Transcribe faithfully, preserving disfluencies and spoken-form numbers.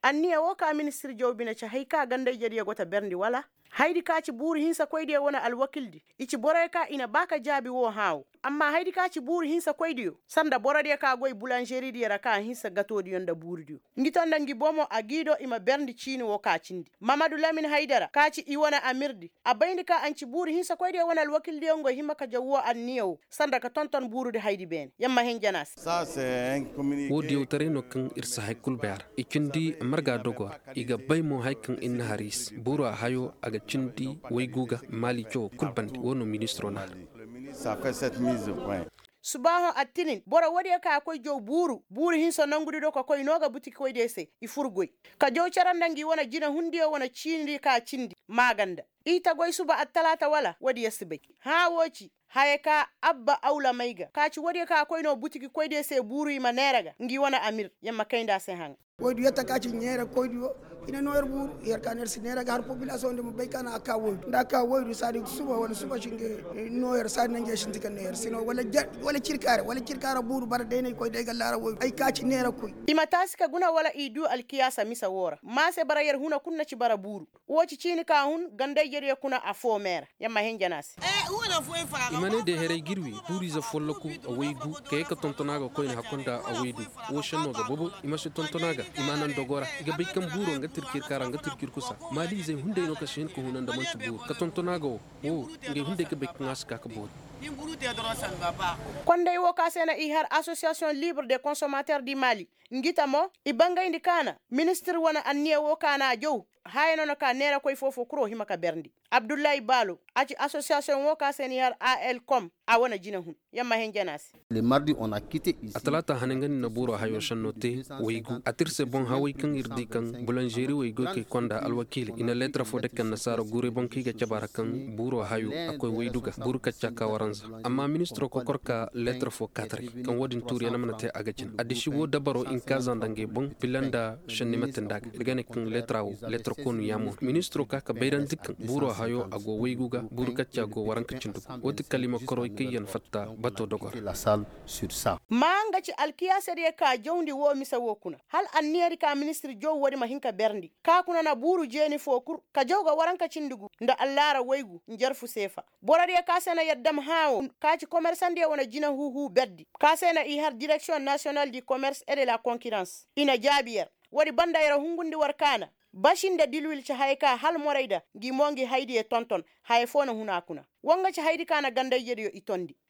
Anniya woo ka ministir jaw bine ci hay ka ganda-ijediyo go ta berndi wala? Haydi ka ci buuru hinsakoydiyo wane alwakildi, i ci boroyo ka i na ba ka jaabi woo hãa woo. Amma haydi ka ci buuru hinsakoydiyo, sanda borodiyo ka goy bulanžeridiyo ra ka hinsa gatoodiyo nda buurudiyo, ngi to nda ngi bomo a g'i do i ma berndi ciini woo ka cindi. Mamadu lamin haydara ka ci i wane amirdi, a bayndi ka anci buuru hinsakoydiyo wane alwakildiyo ngo hima ka jaw woo anniya woo, sanda ka tonton buurudi haydi beene yer ma hin jana se. Woo diyawtaray no kaŋ ir si hay kul bay a ra. I cindi marga dogo ra, i ga bay mo hay kaŋ ir na har i se buura hayo a ga cindi waygu ga. Maali cawo kul bande woo no ministiro na har. Subaaho attinin boro woodiyo ka koy jaw buuru buuru hinsa nongudi do ka koy noo ga butikikoydiyo se, i fur goy ka jaw cere nda ngi wane jinehundiyo wane ciinidi ka cindi maaganda. I ta goy suba attalaata wala woodiyo si bay. Hãa woo ci haya ka abba awlamay ga ka ci woodiyo ka koy noo butikikoydiyo se buuru i ma neera ga ngi wane amir. Yer ma kayndi a se haŋa. Woydu yetta ka ci neera koydiyo. I na noo yer buuru yer ka no yer si neera ga har popilasoŋ di ma bay ka na a ka woydu nda a ka woydu saadi suba wala suba si nga noo yer saadi na nge sinti ka noo yer si no wala cirkaare wala cirkaare buuru bara day na i koy day ga laara woydu ay ka ci neera koy. I ma taasi ka guna wala i duu alkiyaasa mise woo ra maa se bara yer huna kul na ci bara buuru. Woo ci ciini ka hun ganda-ijediyo kuna afoo mee ra. Yer ma hin jana se. I ma ne day haray ga ir wii buuriize folloku, a waygu ka yee ka tonton a ga koyne hakko nda a waydu. Woo šennoo ga bobo i ma si tonton a ga. I ma a naŋ dogo ra i ga bay kaŋ buuro nga tirkir kaara nga tirkir kusa. Maaliizey hunday no ka si hin ka huna nda man'ti buuru ka tonton a ga woo. Woo ngey hunday ga bay kaŋ a si ka ga boori. Konday woo ka se na i har asosiyasiyoŋ libre de konsomater di maali, ngi ta mo i bangayndi ka na ministir wane anniya woo ka na a jaw. Haya no na ka neerakoy foofoo kul woo hima ka berndi. Abdullahi baalo, a ci asosiyasiyoŋ woo ka se n'i har a l com, a wane jinehun. Yer ma hin jana se. Atalaata hane nga ni na buuro hayo šennoo te. Waygu a tir se boŋ haway kaŋ ir di kaŋ bulanžeri waygu kay konda alwakiiley i na leetar foo dake annasaara guuray boŋ kaŋ i ga cabe a ra kaŋ buuro hayo a koy waydu ga buuru kacca ka waranza. Amma ministiroo kokor ka leetar foo kaataray kaŋ woo din tuuriyaŋ mana te a ga jin addisi woo dabaroo inkaaza nda ngey boŋ bila nda šenni ma te nda a ga ir ga ne kaŋ leetara woo leetar koonu yaamo no ministiroo ka ka bayrandi kaŋ buuro hayo a go waygu ga buuru kacca go waranka cindi go woo ti kala i ma koroy kaŋ yaŋ fatta batoo dogo ra. Maa nga ci alkiyaasadiyo ka jawndi woo mise woo kuna hala anniyadi ka ministir jaw woodi ma hin ka berndi ka kuna na buuru jeeni foo kul ka jaw ga waranka cindi gu nda allaara waygu njarfu seefa. Borodiyo ka se na yer dam hãa woo ka ci komersandiyo wane jinahuuhuu berdi ka se na i har direksiyoŋ nasiyonal di komers et de la konkirans. I na jaabi yer. Woodi banda yer hungundi war ka na basi nda dilwil ci haya ka hala morayda ngi mo ngi haydiyo tonton. Haya foo na hun a kuna. Woo nga ci haydi ka na ganda-ijediyo i tondi.